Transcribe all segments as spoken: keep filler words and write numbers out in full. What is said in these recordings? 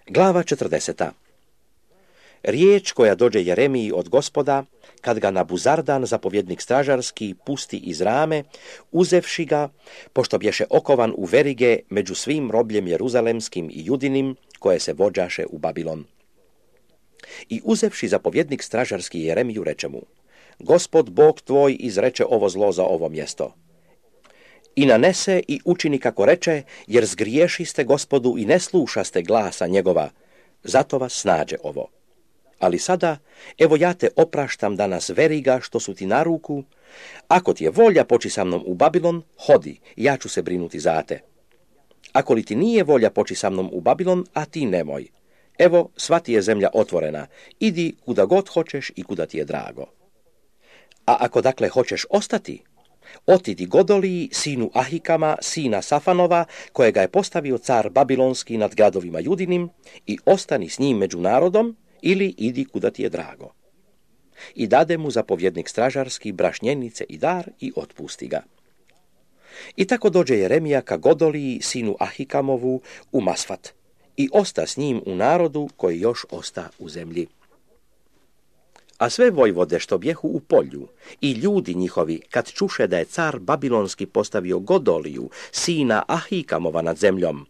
Glava četrdeseta. Riječ koja dođe Jeremiji od Gospoda, kad ga Nabuzardan, zapovjednik stražarski, pusti iz rame, uzevši ga, pošto bješe okovan u verige među svim robljem jeruzalemskim i judinim, koje se vođaše u Babilon. I uzevši zapovjednik stražarski Jeremiju, reče mu: Gospod Bog tvoj izreče ovo zlo za ovo mjesto. I nanese i učini kako reče, jer zgriješiste Gospodu i ne slušaste glasa njegova, zato vas snađe ovo. Ali sada, evo ja te opraštam danas veriga što su ti na ruku, ako ti je volja poći sa mnom u Babilon, hodi, ja ću se brinuti za te. Ako li ti nije volja poći sa mnom u Babilon, a ti nemoj. Evo, sva ti je zemlja otvorena, idi kuda god hoćeš i kuda ti je drago. A ako dakle hoćeš ostati, otidi Godoliji, sinu Ahikama, sina Safanova, kojega je postavio car Babilonski nad gradovima Judinim, i ostani s njim među narodom, ili idi kuda ti je drago. I dade mu zapovjednik stražarski brašnjenice i dar i otpusti ga. I tako dođe Jeremija ka Godoliji, sinu Ahikamovu, u Masfat, i osta s njim u narodu koji još osta u zemlji. A sve vojvode što bjehu u polju i ljudi njihovi, kad čuše da je car Babilonski postavio Godoliju, sina Ahikamova nad zemljom,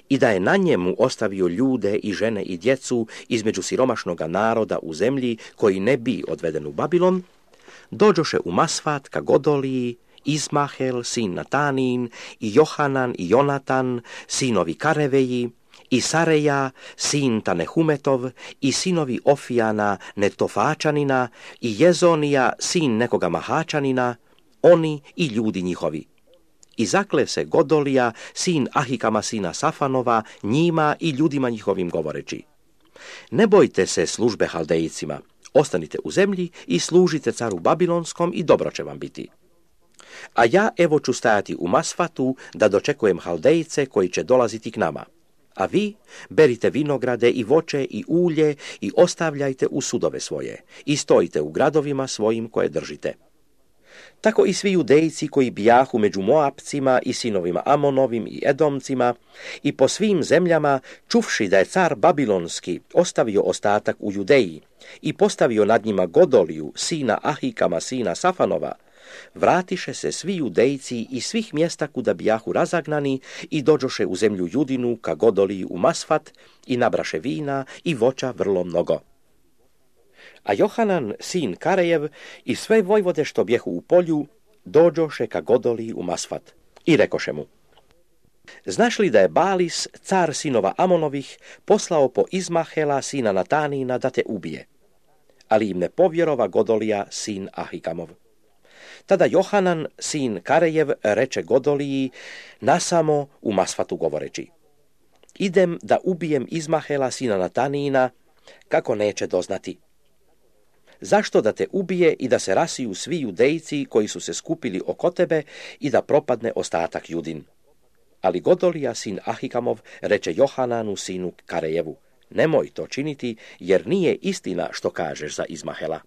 i da je na njemu ostavio ljude i žene i djecu između siromašnoga naroda u zemlji koji ne bi odveden u Babilon, dođoše u Masfat ka Godoliji Izmahel, sin Natanin, i Johanan i Jonatan, sinovi Kareveji, i Sareja, sin Tanehumetov, i sinovi Ofijana, Netofačanina, i Jezonija, sin nekoga Mahačanina, oni i ljudi njihovi. I zakle se Godolija, sin Ahikama, sina Safanova, njima i ljudima njihovim govoreći: Ne bojte se službe Haldejcima, ostanite u zemlji i služite caru Babilonskom i dobro će vam biti. A ja evo ću stajati u Masfatu da dočekujem Haldejce koji će dolaziti k nama. A vi berite vinograde i voće i ulje i ostavljajte u sudove svoje i stojite u gradovima svojim koje držite. Tako i svi Judejci koji bijahu među Moapcima i sinovima Amonovim i Edomcima i po svim zemljama, čuvši da je car Babilonski ostavio ostatak u Judeji i postavio nad njima Godoliju, sina Ahikama, sina Safanova, vratiše se svi Judejci iz svih mjesta kuda bijahu razagnani i dođoše u zemlju Judinu ka Godoliji u Masfat i nabraše vina i voća vrlo mnogo. A Johanan, sin Karejev, i sve vojvode što bjehu u polju, dođoše ka Godoliji u Masfat i rekoše mu: Znaš li da je Balis, car sinova Amonovih, poslao po Izmahela, sina Natanina, da te ubije? Ali im ne povjerova Godolija, sin Ahikamov. Tada Johanan, sin Karejev, reče Godoliji nasamo u Masfatu govoreći: Idem da ubijem Izmahela, sina Natanina, kako neće doznati. Zašto da te ubije i da se rasiju svi Judejci koji su se skupili oko tebe i da propadne ostatak Judin? Ali Godolija, sin Ahikamov, reče Johananu, sinu Karejevu: Nemoj to činiti, jer nije istina što kažeš za Izmahela.